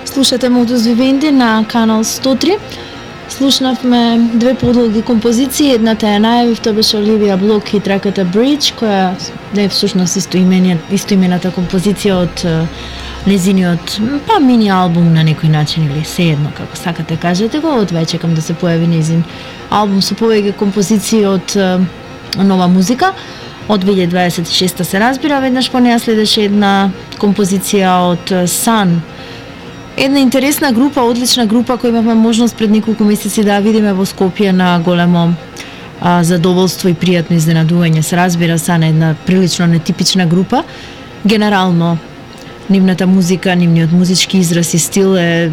Слушате Modus Vivendi на канал 103. Слушнавме две подолги композиции, едната ја најавив, тоа беше Оливија Блок и траката Bridge, која е всушност истоимената композиција од незиниот мини албум на некој начин или seедно како сакате кажете го, од веќе чекам да се појави незин албум со повеќе композиции од нова музика. Од 2026 се разбира, веднаш по неја следеше една композиција од Sun. Една интересна група, одлична група која имавме можност пред неколку месеци да ја видиме во Скопје на големо задоволство и пријатно изненадување. Се разбира, Sun е една прилично нетипична група. Генерално, нивната музика, нивниот музички израз и стил е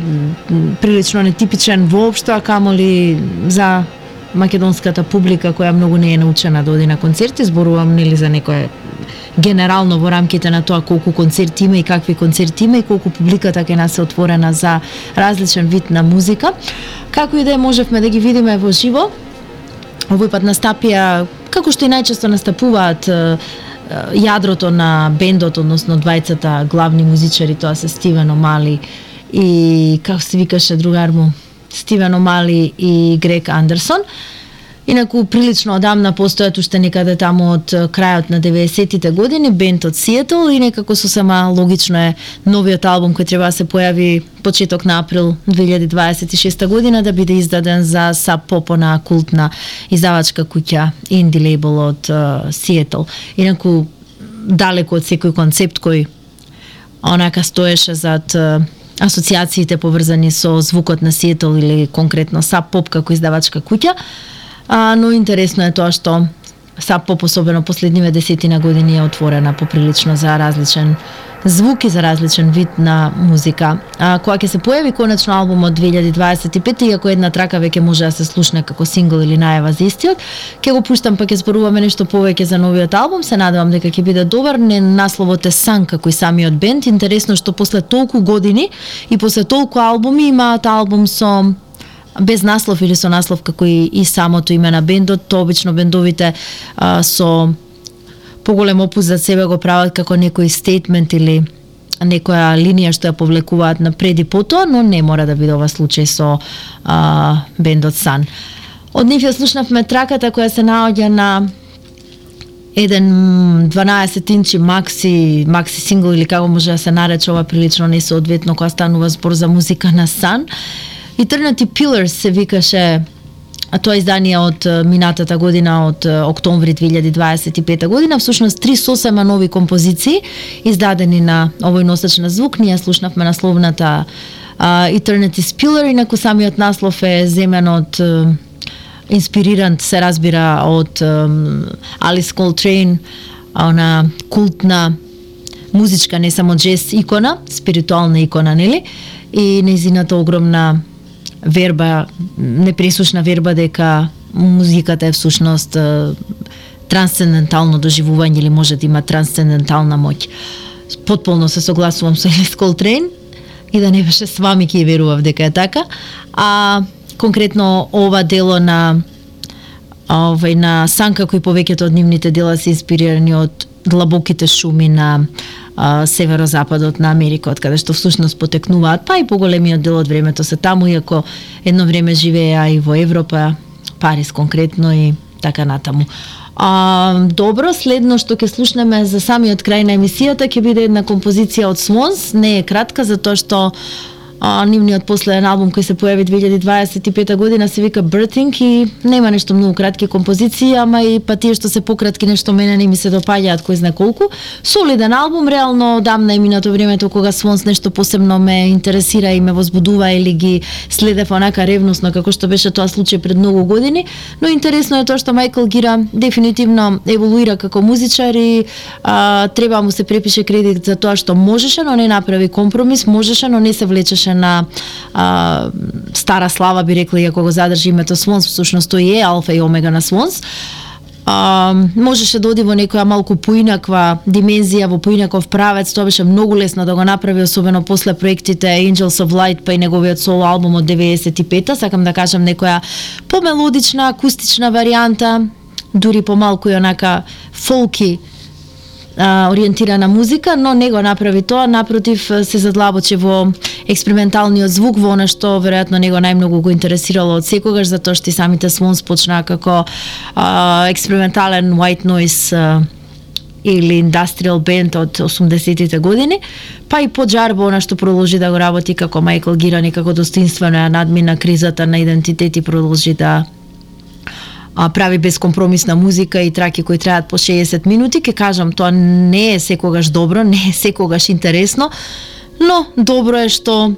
прилично нетипичен воопшто, а камоли за македонската публика која многу не е научена да оди на концерти. Зборувам нели за некоја генерално во рамките на тоа колку концерти има и какви концерти има и колку публиката ќе нас е отворена за различен вид на музика. Како и да можевме да ги видиме во живо, овој пат настапија, како што и најчесто настапуваат јадрото на бендот, односно двајцата главни музичари, тоа се Стивен Омали и како се викаше другар му, Стивен Омали и Грег Андерсон. Инаку прилично одамна постојат уште некаде таму од крајот на 90-тите години бенд од Сиетл и некако сосема логично е новиот албум кој треба да се појави почеток на април 2026 година да биде издаден за Sub Pop, на култна издавачка куќа инди лейбл од Сиетл. Инаку далеко од секој концепт кој онака стоеше зад асоциациите поврзани со звукот на Сиетл или конкретно Sub Pop како издавачка куќа. Но интересно е тоа што Sub Pop, особено последниве десетина години, е отворена поприлично за различен звук и за различен вид на музика. Кога ќе се појави конечно албумот 2025, иако една трака веќе може да се слушне како сингл или најава за истиот, ќе го пуштам па ќе зборуваме нешто повеќе за новиот албум. Се надевам дека ќе биде добар. Насловот е Sun како и самиот бенд. Интересно што после толку години и после толку албуми имаат албум со без наслов или со наслов како и самото име на бендот. Тоа обично бендовите со поголем опус за себе го прават како некој стейтмент или некоја линија што ја повлекуваат напред и потоа, но не мора да биде ова случај со бендот Sun. Од нив ја слушнавме траката која се наоѓа на еден 12-инчи макси сингл или како може да се нарече ова прилично несоодветно кога станува збор за музика на Sun. Eternity Pillars се викаше тоа издание од минатата година, од октомври 2025 година. Всушност 3 сосема нови композиции издадени на овој носач на звук. Ние слушнавме насловната Eternity Pillar, инаку самиот наслов е земен од инспириран, се разбира, од Алис Колтрейн, она култна музичка, не само джез икона, спиритуална икона, нели? И нејзината огромна верба, непресушна верба дека музиката е всушност трансцендентално доживување или може да има трансцендентална моќ. Потполно се согласувам со Алис Колтрейн и да не беше с вами ќе верував дека е така. Конкретно ова дело на на Sun, како и повеќето од нивните дела се инспирирани од длабоките шуми на северозападот на Америка, од каде што всушност потекнуваат, па и поголемиот дел од времето се таму, иако едно време живеа и во Европа, Париз конкретно и така натаму. Добро, следно што ќе слушнеме за самиот крај на емисијата ќе биде една композиција од Swans, не е кратка затоа што нивниот последен албум кој се појави 2025 година се вика Birthing и нема нешто многу кратки композиции, ама и па тие што се пократки нешто мене не ми се допаѓаат кој знае колку. Солиден албум, реално одамна е минато времето кога Swans нешто посебно ме интересира и ме возбудува или ги следев онака ревносно како што беше тоа случај пред многу години, но интересно е тоа што Майкл Гира дефинитивно еволуира како музичар и треба му се препише кредит за тоа што можеше, но не направи компромис, можеше, но не се влечеше на стара слава, би рекла, иако го задржи името Swans, всушност тој е алфа и омега на Swans. Можеше да оди во некоја малку поинаква димензија, во поинаков правец, тоа беше многу лесно да го направи, особено после проектите Angels of Light, па и неговиот соло албум од 95-та, сакам да кажам некоја помелодична, акустична варијанта, дури помалку и онака фолки ориентирана музика, но не го направи тоа, напротив се задлабочи во експерименталниот звук, во она што веројатно него најмногу го интересирало од секогаш, затоа што и самите Swans почнаа како експериментален white noise или industrial band од 80-тите години, па и поџарбо она што продолжи да го работи како Майкл Гиран и како достоинствено ја надмина кризата на идентитет и продолжи да прави безкомпромисна музика и траки кои траат по 60 минути. Ке кажам, тоа не е секогаш добро, не е секогаш интересно, но добро е што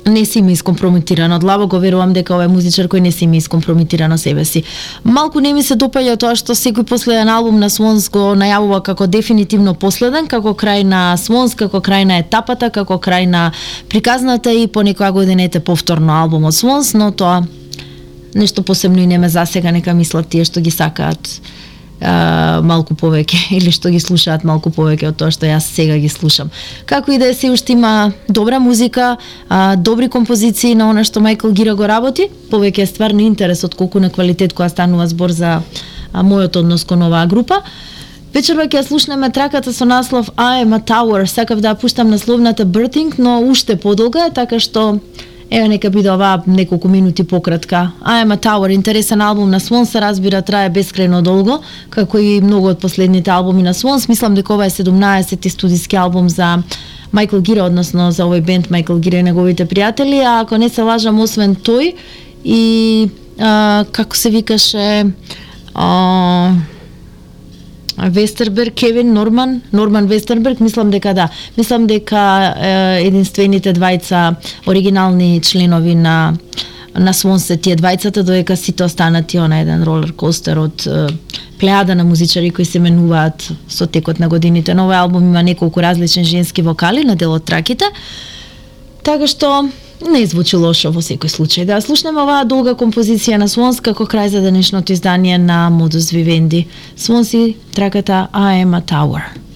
не си ми искомпрометирано. Длабо го верувам дека овој музичар кој не си ми искомпрометирано себе си. Малку не ми се допаѓа тоа што секој последен албум на Swans го најавува како дефинитивно последен, како крај на Swans, како крај на етапата, како крај на приказната и по некоја година ете повторно албум од Swans, но тоа нешто посебно и не ме засега, нека мислат тие што ги сакаат малку повеќе или што ги слушаат малку повеќе од тоа што јас сега ги слушам. Како и да е, се уште има добра музика, добри композиции на она што Майкл Гира го работи, повеќе е стварно интерес од колку на квалитет кога станува збор за мојот однос кон оваа група. Вечерва ќе слушнеме траката со наслов I am a Tower. Сакав да ја пуштам насловната Birthing, но уште подолга е, така што еве нека биде оваа неколку минути пократка. I am a Tower, интересен албум на Swans, се разбира, трае бескрајно долго, како и многу од последните албуми на Swans. Мислам дека ова е 17-ти студиски албум за Майкл Гира, односно за овој бенд Майкл Гира и неговите пријатели, а ако не се лажам, освен тој и како се викаше Вестерберг, Кевин Норман Вестерберг, мислам дека да. Мислам дека единствените двајца оригинални членови на Swans се тие двајцата, додека сите останати на еден ролер костер од плејада на музичари кои се менуваат со текот на годините. Новиот албум има неколку различни женски вокали на дел од траките, така што не звучи лошо во секој случај. Да слушнеме оваа долга композиција на Swans како крај за денешното издание на Modus Vivendi. Swans и траката I am a Tower.